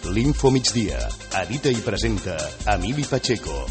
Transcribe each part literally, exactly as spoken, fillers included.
L'Info Migdia. Edita i presenta Emili Pacheco.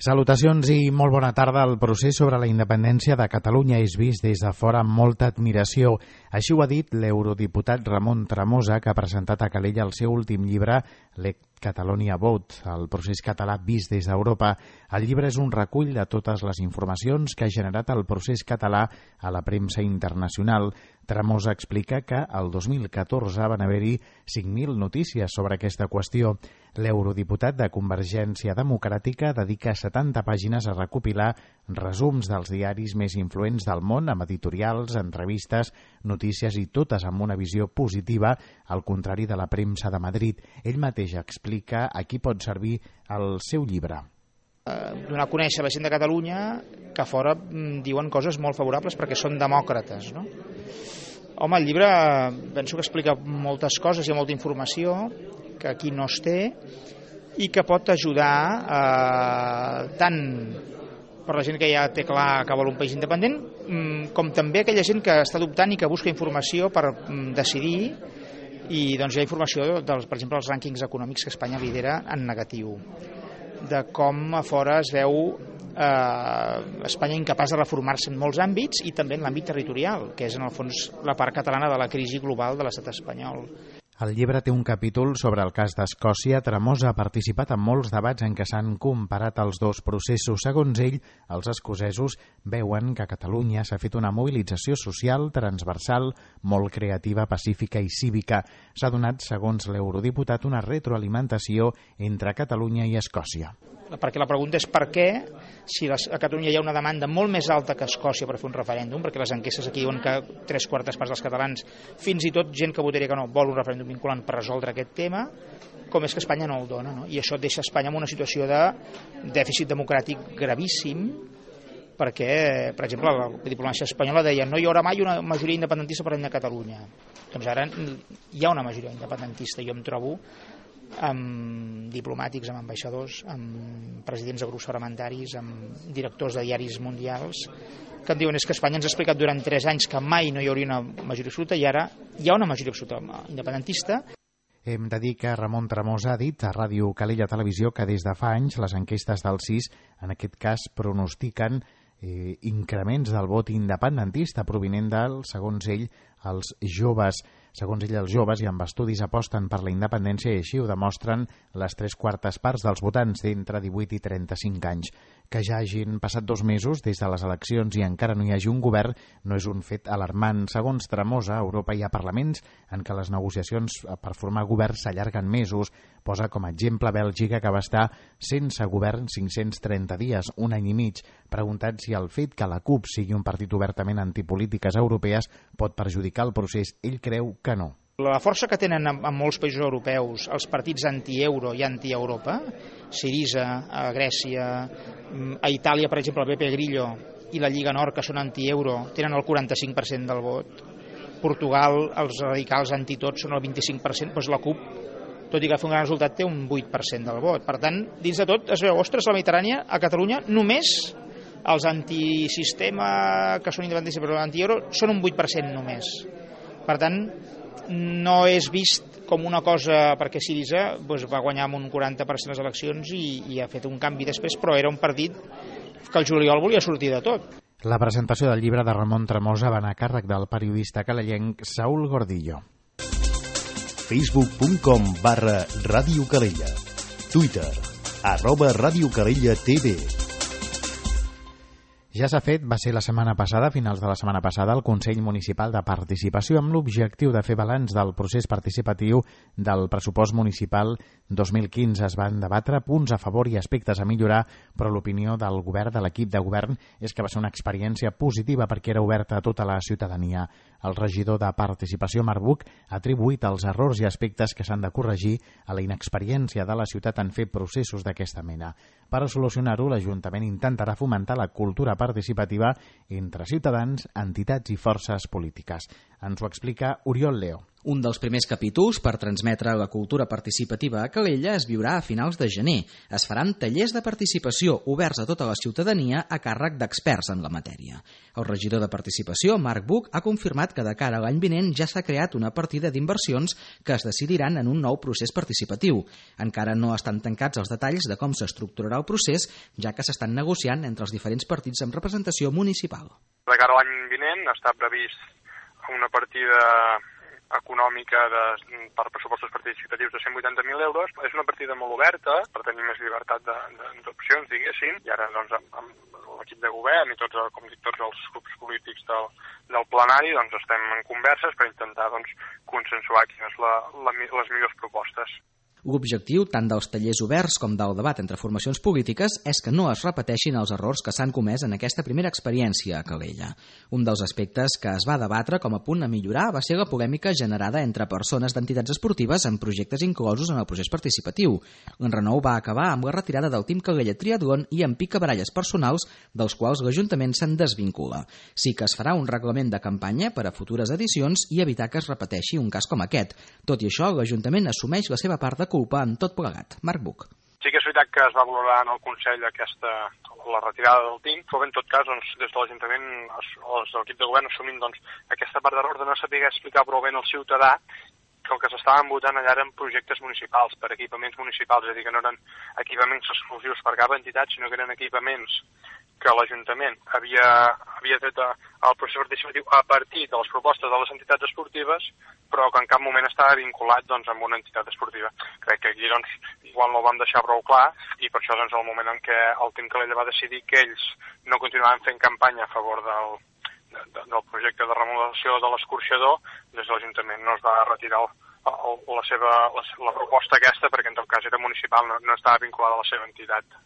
Salutacions i molt bona tarda. El procés sobre la independència de Catalunya és vist des de fora amb molta admiració. Així ho ha dit l'eurodiputat Ramon Tremosa, que ha presentat a Calella el seu últim llibre, Let Catalonia Vote, el procés català vist des d'Europa. El llibre és un recull de totes les informacions que ha generat el procés català a la premsa internacional. Tremosa explica que el dos mil catorze van haver-hi cinc mil notícies sobre aquesta qüestió. L'eurodiputat de Convergència Democràtica dedica setanta pàgines a recopilar resums dels diaris més influents del món amb editorials, entrevistes, notícies i totes amb una visió positiva, al contrari de la premsa de Madrid. Ell mateix explica a qui pot servir el seu llibre. Donar a conèixer a la gent de Catalunya que a fora diuen coses molt favorables perquè són demòcrates, no? Home, el llibre penso que explica moltes coses, hi ha molta informació que aquí no es té i que pot ajudar eh, tant per la gent que ja té clar que vol un país independent com també aquella gent que està dubtant i que busca informació per decidir. I doncs hi ha informació, dels, per exemple, els rànquings econòmics que Espanya lidera en negatiu, de com a fora es veu eh, Espanya incapaç de reformar-se en molts àmbits i també en l'àmbit territorial, que és en el fons la part catalana de la crisi global de l'estat espanyol. El llibre té un capítol sobre el cas d'Escòcia. Tremosa ha participat en molts debats en què s'han comparat els dos processos. Segons ell, els escocesos veuen que a Catalunya s'ha fet una mobilització social transversal, molt creativa, pacífica i cívica. S'ha donat, segons l'eurodiputat, una retroalimentació entre Catalunya i Escòcia. Perquè la pregunta és per què, si a Catalunya hi ha una demanda molt més alta que a Escòcia per fer un referèndum, perquè les enquestes aquí diuen que tres quartes parts dels catalans, fins i tot gent que votaria que no, vol un referèndum vinculant per resoldre aquest tema, com és que Espanya no el dona, no? I això deixa Espanya en una situació de dèficit democràtic gravíssim, perquè, per exemple, la diplomàcia espanyola deia no hi haurà mai una majoria independentista per de Catalunya. Doncs ara hi ha una majoria independentista. Jo em trobo amb diplomàtics, amb ambaixadors, amb presidents de grups parlamentaris, amb directors de diaris mundials, que em diuen és que Espanya ens ha explicat durant tres anys que mai no hi hauria una majoria absoluta i ara hi ha una majoria absoluta independentista. Hem de dir que Ramon Tremosa ha dit a Ràdio Calella Televisió que des de fa anys les enquestes del C I S, en aquest cas, pronostiquen eh, increments del vot independentista provinent del, segons ell, els joves. Segons ell, els joves i amb estudis aposten per la independència i així ho demostren les tres quartes parts dels votants d'entre divuit i trenta-cinc anys. Que ja hagin passat dos mesos des de les eleccions i encara no hi hagi un govern no és un fet alarmant. Segons Tremosa, a Europa hi ha parlaments en què les negociacions per formar govern s'allarguen mesos. Posa com a exemple Bèlgica, que va estar sense govern cinc-cents trenta dies, un any i mig. Preguntat si el fet que la C U P sigui un partit obertament antipolítiques europees pot perjudicar el procés, ell creu que no. La força que tenen en molts països europeus els partits anti-euro i anti-Europa, Syriza, a Grècia, a Itàlia, per exemple, el Beppe Grillo i la Lliga Nord, que són anti-euro, tenen el quaranta-cinc per cent del vot. Portugal, els radicals anti-tot són el vint-i-cinc per cent, doncs la C U P, tot i que fa un gran resultat, té un vuit per cent del vot. Per tant, dins de tot es veu, ostres, la Mediterrània, a Catalunya, només els antisistema, que són independentistes però anti-euro, són un vuit per cent només. Per tant, no és vist com una cosa, perquè Syriza doncs, va guanyar amb un quaranta per cent les eleccions i, i ha fet un canvi després, però era un partit que el juliol volia sortir de tot. La presentació del llibre de Ramon Tremosa va anar a càrrec del periodista calellenc Saúl Gordillo. facebook punt com barra Ràdio Calella. Twitter, arroba Ràdio Calella T V. Ja s'ha fet, va ser la setmana passada, a finals de la setmana passada, el Consell Municipal de Participació amb l'objectiu de fer balanç del procés participatiu del pressupost municipal dos mil quinze. Es van debatre punts a favor i aspectes a millorar, però l'opinió del govern, de l'equip de govern, és que va ser una experiència positiva perquè era oberta a tota la ciutadania. El regidor de Participació, Marc Buch, ha atribuït els errors i aspectes que s'han de corregir a la inexperiència de la ciutat en fer processos d'aquesta mena. Per a solucionar-ho, l'Ajuntament intentarà fomentar la cultura participativa entre ciutadans, entitats i forces polítiques. Ens ho explica Oriol Leo. Un dels primers capítols per transmetre la cultura participativa a Calella es viurà a finals de gener. Es faran tallers de participació oberts a tota la ciutadania a càrrec d'experts en la matèria. El regidor de Participació, Marc Buch, ha confirmat que de cara a l'any vinent ja s'ha creat una partida d'inversions que es decidiran en un nou procés participatiu. Encara no estan tancats els detalls de com s'estructurarà el procés, ja que s'estan negociant entre els diferents partits amb representació municipal. De cara a l'any vinent està previst una partida econòmica de, per pressupostos participatius de cent vuitanta mil euros. És una partida molt oberta per tenir més llibertat d'opcions, diguéssim, i ara doncs, amb, amb l'equip de govern i tots, com dic, tots els grups polítics del, del plenari doncs, estem en converses per intentar doncs, consensuar quines la, la, les millors propostes. L'objectiu, tant dels tallers oberts com del debat entre formacions polítiques, és que no es repeteixin els errors que s'han comès en aquesta primera experiència a Calella. Un dels aspectes que es va debatre com a punt a millorar va ser la polèmica generada entre persones d'entitats esportives en projectes inclosos en el procés participatiu. L'enrenou va acabar amb la retirada del Team Calella Triatlon i amb picabaralles personals, dels quals l'Ajuntament se'n desvincula. Sí que es farà un reglament de campanya per a futures edicions i evitar que es repeteixi un cas com aquest. Tot i això, l'Ajuntament assumeix la seva part de culpa en tot plegat. Marc Buch. Sí que és veritat que es va valorar en el Consell aquesta, la retirada del T I N, però en tot cas, doncs, des de l'Ajuntament, els de l'equip de govern assumint doncs, aquesta part d'error de no saber explicar prou bé al ciutadà que el que s'estaven votant allà eren projectes municipals, per equipaments municipals, és a dir, que no eren equipaments exclusius per cap entitat, sinó que eren equipaments que l'Ajuntament havia, havia tret el procés participatiu a partir de les propostes de les entitats esportives, però que en cap moment estava vinculat doncs, amb una entitat esportiva. Crec que aquí doncs, igual no ho vam deixar prou clar i per això doncs, el moment en què el Team Calella va decidir que ells no continuaven fent campanya a favor del, de, del projecte de remodelació de l'escorxador, des de l'Ajuntament no es va retirar el, el, la, seva, la, la proposta aquesta perquè en tot cas era municipal, no, no estava vinculada a la seva entitat.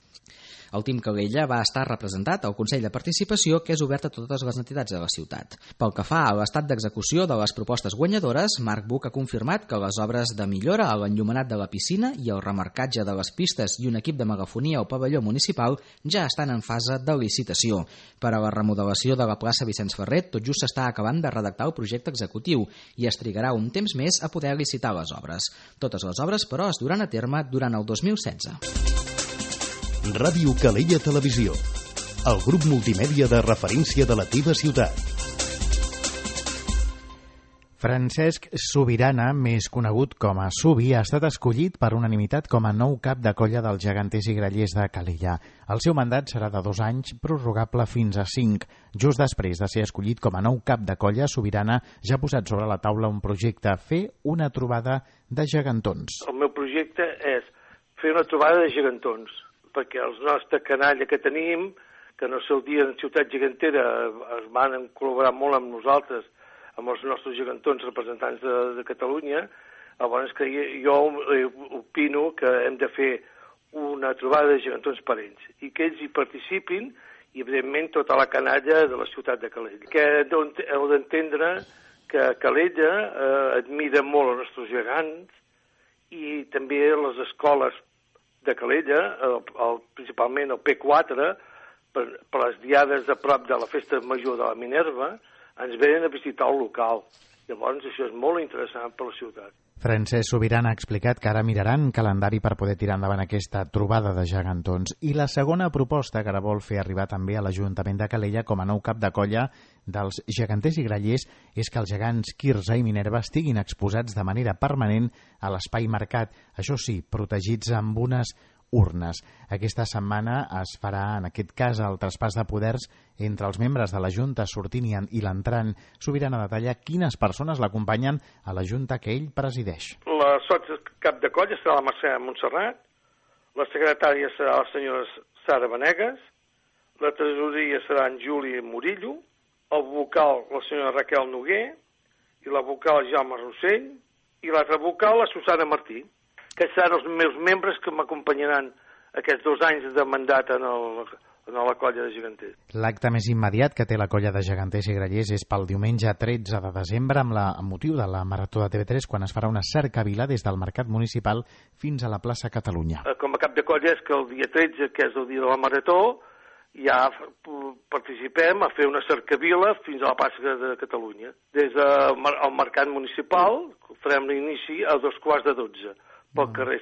El Team Calella va estar representat al Consell de Participació, que és obert a totes les entitats de la ciutat. Pel que fa a l'estat d'execució de les propostes guanyadores, Marc Buch ha confirmat que les obres de millora a l'enllumenat de la piscina i el remarcatge de les pistes i un equip de megafonia al pavelló municipal ja estan en fase de licitació. Per a la remodelació de la plaça Vicenç Ferrer, tot just s'està acabant de redactar el projecte executiu i es trigarà un temps més a poder licitar les obres. Totes les obres, però, es duran a terme durant el dos mil setze. Ràdio Calella Televisió, el grup multimèdia de referència de la teva ciutat. Francesc Subirana, més conegut com a Subi, ha estat escollit per unanimitat com a nou cap de colla dels geganters i grallers de Calella. El seu mandat serà de dos anys, prorrogable fins a cinc. Just després de ser escollit com a nou cap de colla, Subirana ja ha posat sobre la taula un projecte, fer una trobada de gegantons. El meu projecte és fer una trobada de gegantons, perquè els nostres canalla que tenim, que en el seu dia en Ciutat Gegantera es van col·laborar molt amb nosaltres, amb els nostres gegantons representants de, de Catalunya, llavors que jo opino que hem de fer una trobada de gegantons per ells, i que ells hi participin, i evidentment tota la canalla de la ciutat de Calella. Que heu d'entendre que Calella eh, admira molt els nostres gegants, i també les escoles de Calella, el, el, principalment el P quatre, per, per les diades de prop de la festa major de la Minerva, ens venen a visitar el local. Llavors això és molt interessant per la ciutat. Francesc Subirana ha explicat que ara miraran calendari per poder tirar endavant aquesta trobada de gegantons. I la segona proposta que ara vol fer arribar també a l'Ajuntament de Calella com a nou cap de colla dels geganters i grallers és que els gegants Quirze i Minerva estiguin exposats de manera permanent a l'espai marcat, això sí, protegits amb unes urnes. Aquesta setmana es farà, en aquest cas, el traspàs de poders entre els membres de la Junta sortint i l'entrant. Subirana detalla quines persones l'acompanyen a la Junta que ell presideix. La sots cap de colla serà la Mercè Montserrat, la secretària serà la senyora Sara Benegas, la tresoreria serà en Juli Murillo, el vocal la senyora Raquel Noguer, i la vocal Jaume Rossell, i l'altra vocal la Susana Martí, que seran els meus membres que m'acompanyaran aquests dos anys de mandat en, el, en la colla de geganters. L'acte més immediat que té la colla de geganters i grallers és pel diumenge tretze de desembre amb, la, amb motiu de la Marató de T V tres, quan es farà una cercavila des del Mercat Municipal fins a la plaça Catalunya. Com a cap de colla és que el dia tretze, que és el dia de la Marató, ja participem a fer una cercavila fins a la plaça de Catalunya. Des del mercat municipal farem l'inici a dos quarts de dotze, pel carrer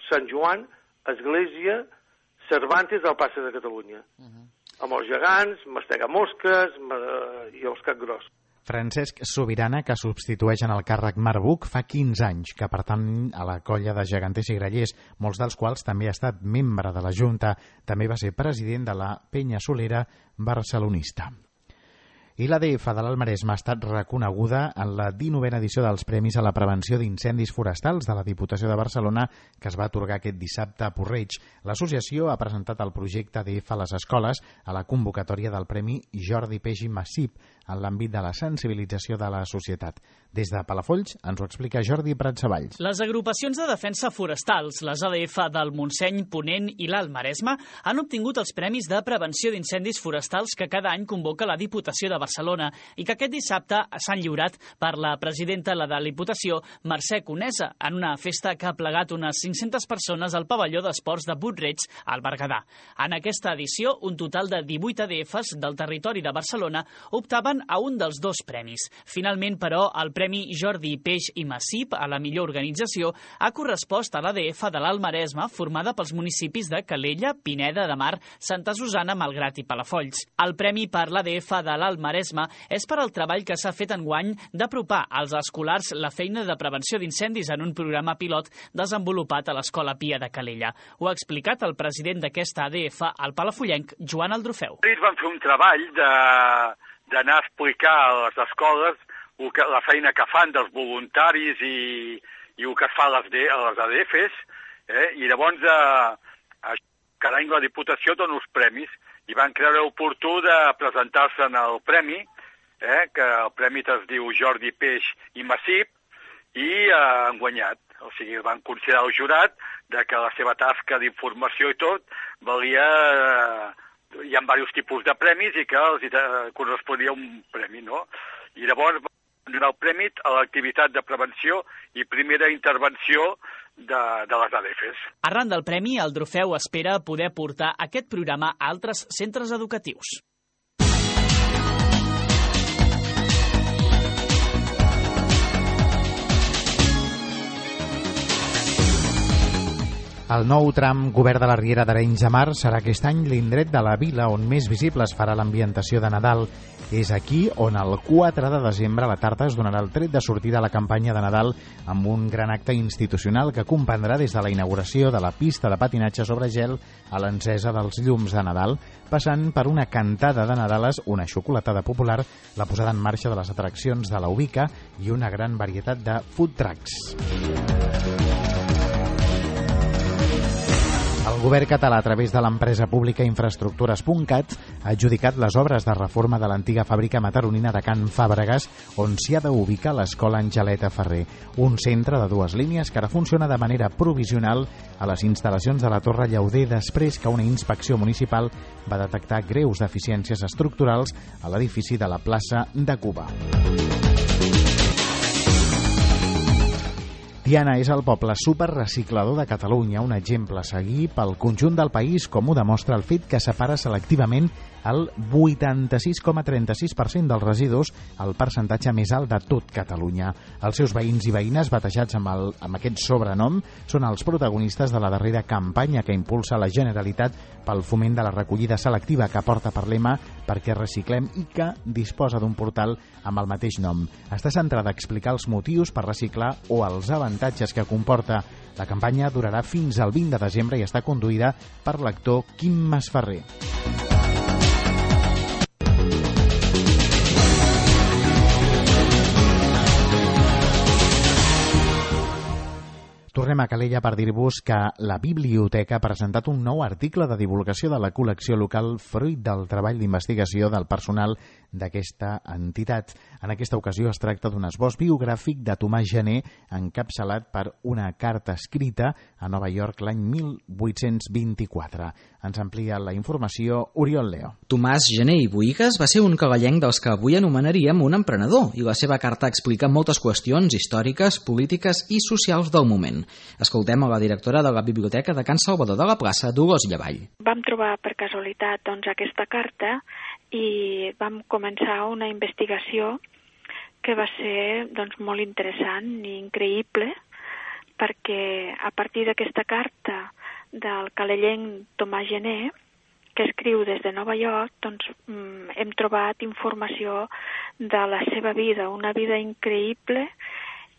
Sant Joan, Església, Cervantes, a la plaça de Catalunya. Amb els gegants, mastega mosques i els capgrossos. Francesc Sobirana, que substitueix en el càrrec Marc Buch, fa quinze anys que pertany a la colla de geganters i grallers, molts dels quals també ha estat membre de la Junta. També va ser president de la Penya Solera barcelonista. I l'A D F de l'Alt Maresme ha estat reconeguda en la dinovena edició dels Premis a la Prevenció d'Incendis Forestals de la Diputació de Barcelona, que es va atorgar aquest dissabte a Porreig. L'associació ha presentat el projecte A D F a les escoles a la convocatòria del Premi Jordi Peix i Massip en l'àmbit de la sensibilització de la societat. Des de Palafolls ens ho explica Jordi Pratsavalls. Les agrupacions de defensa forestals, les A D F del Montseny, Ponent i l'Alt Maresme, han obtingut els Premis de Prevenció d'Incendis Forestals que cada any convoca la Diputació de Barcelona i que aquest dissabte s'han lliurat per la presidenta de la Diputació, Mercè Conesa, en una festa que ha plegat unes cinc-centes persones al pavelló d'esports de Puig-reig, al Berguedà. En aquesta edició, un total de divuit A D Fs del territori de Barcelona optaven a un dels dos premis. Finalment, però, el Premi Jordi Peix i Massip a la millor organització ha correspost a l'A D F de l'Alt Maresme, formada pels municipis de Calella, Pineda de Mar, Santa Susana, Malgrat i Palafolls. El premi per l'A D F de l'Alt Maresme és per al treball que s'ha fet enguany d'apropar als escolars la feina de prevenció d'incendis en un programa pilot desenvolupat a l'Escola Pia de Calella. Ho ha explicat el president d'aquesta A D F, el palafollenc Joan Aldrufeu. Ells van fer un treball de d'anar a explicar a les escoles la feina que fan dels voluntaris i, i el que es fa a les, a les A D Fs, eh? I llavors eh, cada any la Diputació dona uns premis i van creure oportú de presentar-se en el premi, eh? Que el premi es diu Jordi Peix i Massip, i eh, han guanyat. O sigui, van considerar el jurat de que la seva tasca d'informació i tot valia... Eh, hi ha diversos tipus de premis i que els corresponia un premi, no? I llavors van donar el premi a l'activitat de prevenció i primera intervenció de, de les A D Fs. Arran del premi, el Trofeu espera poder portar aquest programa a altres centres educatius. El nou tram Govern de la Riera d'Arenys de Mar serà aquest any l'indret de la vila on més visible es farà l'ambientació de Nadal. És aquí on el quatre de desembre a la tarda es donarà el tret de sortida a la campanya de Nadal amb un gran acte institucional que comprendrà des de la inauguració de la pista de patinatge sobre gel a l'encesa dels llums de Nadal, passant per una cantada de Nadales, una xocolatada popular, la posada en marxa de les atraccions de la Ubica i una gran varietat de food trucks. El govern català, a través de l'empresa pública Infraestructures punt cat, ha adjudicat les obres de reforma de l'antiga fàbrica mataronina de Can Fàbregas, on s'hi ha d'ubicar l'Escola Angeleta Ferrer, un centre de dues línies que ara funciona de manera provisional a les instal·lacions de la Torre Llauder després que una inspecció municipal va detectar greus deficiències estructurals a l'edifici de la plaça de Cuba. Tiana és el poble superreciclador de Catalunya, un exemple a seguir pel conjunt del país, com ho demostra el fet que separa selectivament el vuitanta-sis coma trenta-sis per cent dels residus, el percentatge més alt de tot Catalunya. Els seus veïns i veïnes, batejats amb, el, amb aquest sobrenom, són els protagonistes de la darrera campanya que impulsa la Generalitat pel foment de la recollida selectiva, que porta per lema perquè reciclem i que disposa d'un portal amb el mateix nom. Està centrada a explicar els motius per reciclar o els avantatges que comporta. La campanya durarà fins al vint de desembre i està conduïda per l'actor Quim Masferrer. Tornem a Calella per dir-vos que la Biblioteca ha presentat un nou article de divulgació de la col·lecció local fruit del treball d'investigació del personal d'aquesta entitat. En aquesta ocasió es tracta d'un esbós biogràfic de Tomàs Gené encapçalat per una carta escrita a Nova York l'any mil vuit-cents vint-i-quatre. Ens amplia la informació Oriol Leo. Tomàs Gené i Boïgues va ser un cagallenc dels que avui anomenaríem un emprenedor i la seva carta explica moltes qüestions històriques, polítiques i socials del moment. Escoltem a la directora de la Biblioteca de Can Salvador de la Plaça, Dolors Llavall. Vam trobar per casualitat doncs, aquesta carta i vam començar una investigació que va ser doncs, molt interessant i increïble perquè a partir d'aquesta carta del calellenc Tomàs Gené, que escriu des de Nova York, doncs hem trobat informació de la seva vida, una vida increïble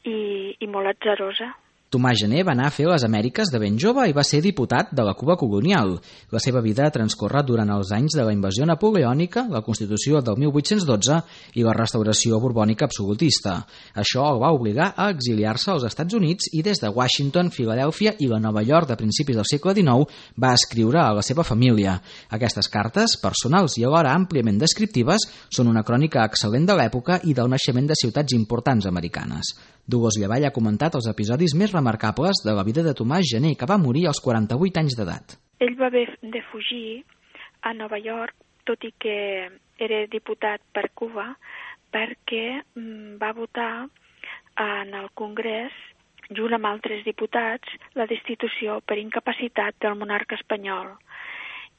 i, i molt atzarosa. Tomàs Gené va anar a fer les Amèriques de ben jove i va ser diputat de la Cuba colonial. La seva vida ha transcorregut durant els anys de la invasió napoleònica, la Constitució del mil vuit-cents dotze i la restauració borbònica absolutista. Això el va obligar a exiliar-se als Estats Units i des de Washington, Filadèlfia i la Nova York de principis del segle dinou va escriure a la seva família. Aquestes cartes, personals i alhora àmpliament descriptives, són una crònica excel·lent de l'època i del naixement de ciutats importants americanes. Dolors Llavall ha comentat els episodis més remarcables de la vida de Tomàs Gené, que va morir als quaranta-vuit anys d'edat. Ell va haver de fugir a Nova York, tot i que era diputat per Cuba, perquè va votar en el Congrés, junt amb altres diputats, la destitució per incapacitat del monarca espanyol.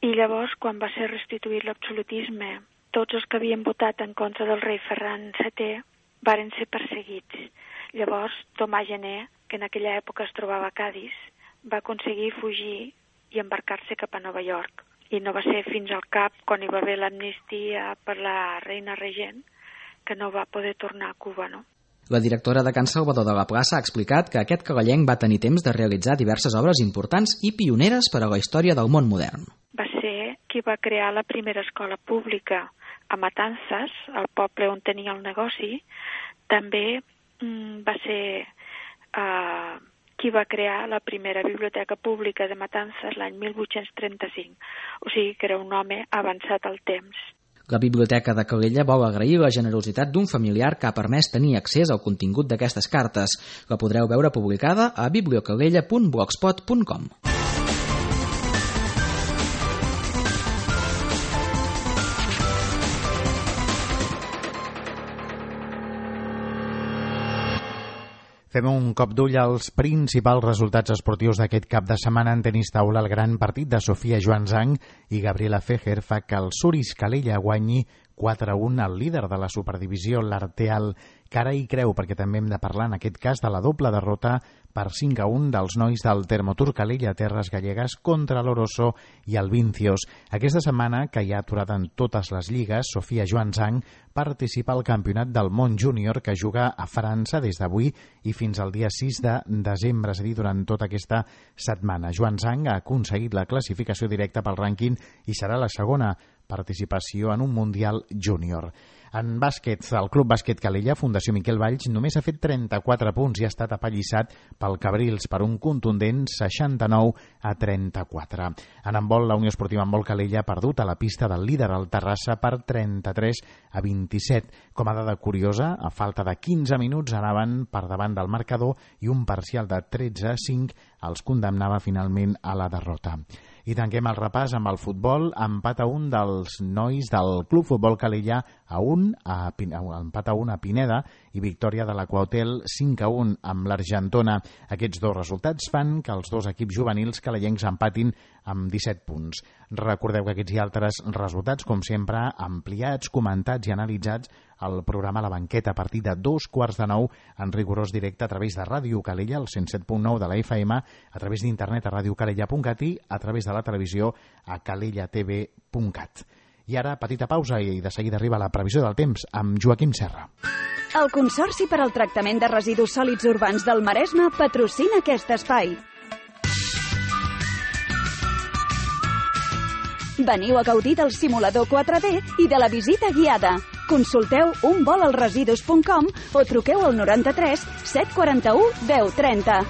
I llavors, quan va ser restituït l'absolutisme, tots els que havien votat en contra del rei Ferran setè varen ser perseguits. Llavors, Tomàs Gené, que en aquella època es trobava a Cadis, va aconseguir fugir i embarcar-se cap a Nova York. I no va ser fins al cap, quan hi va haver l'amnistia per la reina regent, que no va poder tornar a Cuba, no? La directora de Can Salvador de la Plaça ha explicat que aquest cagallenc va tenir temps de realitzar diverses obres importants i pioneres per a la història del món modern. Va ser qui va crear la primera escola pública a Matanzas, el poble on tenia el negoci. També va ser uh, qui va crear la primera biblioteca pública de Matanzas l'any mil vuit-cents trenta-cinc. O sigui que era un home avançat al temps. La Biblioteca de Calella vol agrair la generositat d'un familiar que ha permès tenir accés al contingut d'aquestes cartes. La podreu veure publicada a bibliocalella punt blogspot punt com. Fem un cop d'ull als principals resultats esportius d'aquest cap de setmana en tenis taula. El gran partit de Sofia Joansang i Gabriela Fejer fa que el Suris Calella guanyi quatre a un al líder de la superdivisió, l'Arteal. Cara i creu, perquè també hem de parlar en aquest cas de la doble derrota per cinc a un dels nois del Termotur Calella Terres Gallegues contra l'Oroso i el Vincios. Aquesta setmana, que hi ha aturat en totes les lligues, Sofia Joansang participa al Campionat del Món Júnior que juga a França des d'avui i fins al dia sis de desembre, és a dir, durant tota aquesta setmana. Joansang ha aconseguit la classificació directa pel rànquing i serà la segona participació en un Mundial Júnior. En bàsquet, el Club Bàsquet Calella, Fundació Miquel Valls, només ha fet trenta-quatre punts i ha estat apallissat pel Cabrils per un contundent seixanta-nou a trenta-quatre. En handbol, la Unió Esportiva Handbol Calella ha perdut a la pista del líder, el Terrassa, per trenta-tres a vint-i-set. Com a dada curiosa, a falta de quinze minuts anaven per davant del marcador i un parcial de tretze a cinc els condemnava finalment a la derrota. I tanquem el repàs amb el futbol. Empat a un dels nois del Club Futbol Calella a un, a, empat a un a Pineda i victòria de l'Aquahotel cinc a un amb l'Argentona. Aquests dos resultats fan que els dos equips juvenils calellencs empatin amb disset punts. Recordeu que aquests i altres resultats, com sempre, ampliats, comentats i analitzats al programa La Banqueta a partir de dos quarts de nou en rigorós directe a través de Ràdio Calella, el cent set punt nou de la F M, a través d'internet a radiocalella punt cat i a través de la televisió a calella t v punt cat. I ara, petita pausa i de seguida arriba la previsió del temps amb Joaquim Serra. El Consorci per al Tractament de Residus Sòlids Urbans del Maresme patrocina aquest espai. Veniu a gaudir del simulador quatre D i de la visita guiada. Consulteu un vol als residus punt com o truqueu al noranta-tres set quaranta-u deu trenta.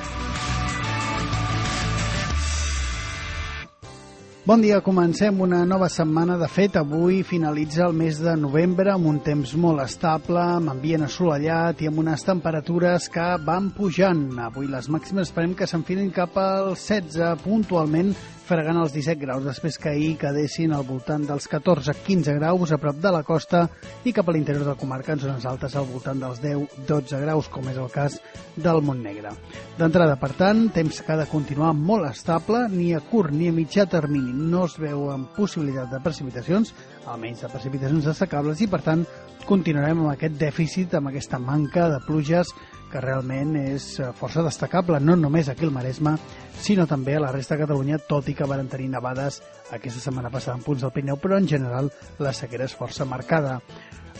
Bon dia, comencem una nova setmana. De fet, avui finalitza el mes de novembre amb un temps molt estable, amb ambient assolellat i amb unes temperatures que van pujant. Avui les màximes esperem que s'enfilin cap als setze, puntualment fregant els disset graus, després que ahir quedessin al voltant dels catorze a quinze graus a prop de la costa i cap a l'interior de la comarca en zones altes al voltant dels deu a dotze graus, com és el cas del Montnegre. D'entrada, per tant, temps que ha de continuar molt estable, ni a curt ni a mitjà termini no es veuen possibilitat de precipitacions, almenys de precipitacions destacables, i per tant continuarem amb aquest dèficit, amb aquesta manca de pluges que realment és força destacable, no només aquí al Maresme, sinó també a la resta de Catalunya, tot i que van tenir nevades aquesta setmana passada en punts del Pirineu, però en general la sequera és força marcada.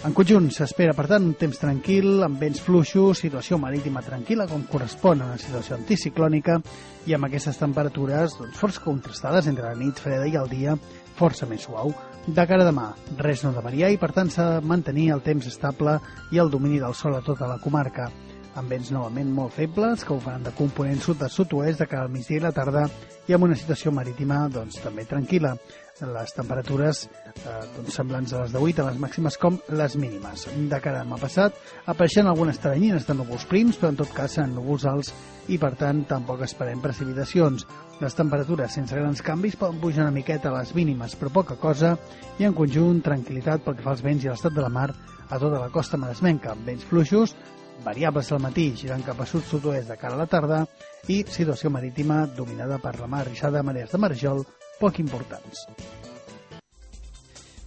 En conjunt, s'espera, per tant, un temps tranquil, amb vents fluixos, situació marítima tranquil·la, com correspon a una situació anticiclònica, i amb aquestes temperatures doncs, força contrastades entre la nit freda i el dia força més suau. De cara a demà, res no de variar i, per tant, s'ha de mantenir el temps estable i el domini del sol a tota la comarca, amb vents novament molt febles, que ho faran de component sud a sud-oest de cara al migdia i la tarda, i amb una situació marítima doncs, també tranquil·la. Les temperatures eh, doncs, semblants a les d'avui, tant les màximes com les mínimes. De cara a demà passat, apareixen algunes taranyines de núvols prims, però en tot cas seran núvols alts i, per tant, tampoc esperem precipitacions. Les temperatures, sense grans canvis, poden pujar una miqueta a les mínimes, però poca cosa, i en conjunt, tranquil·litat pel que fa als vents i a l'estat de la mar a tota la costa maresmenca, amb vents fluixos, variables al matí, girant cap a sud-sud-oest de cara a la tarda, i situació marítima dominada per la mar rixada, marees de marjol poc importants.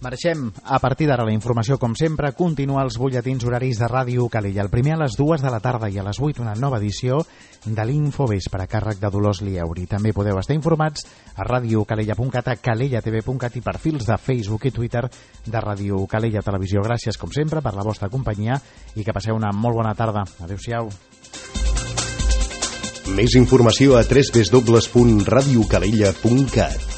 Marxem. A partir d'ara la informació, com sempre, continua als butlletins horaris de Ràdio Calella. El primer a les dues de la tarda i a les vuit una nova edició de l'Infovespre a càrrec de Dolors Lieuri. També podeu estar informats a radiocalella punt cat, a calella t v punt cat i perfils de Facebook i Twitter de Ràdio Calella Televisió. Gràcies, com sempre, per la vostra companyia i que passeu una molt bona tarda. Adéu-siau. Més informació a w w w punt radiocalella punt cat.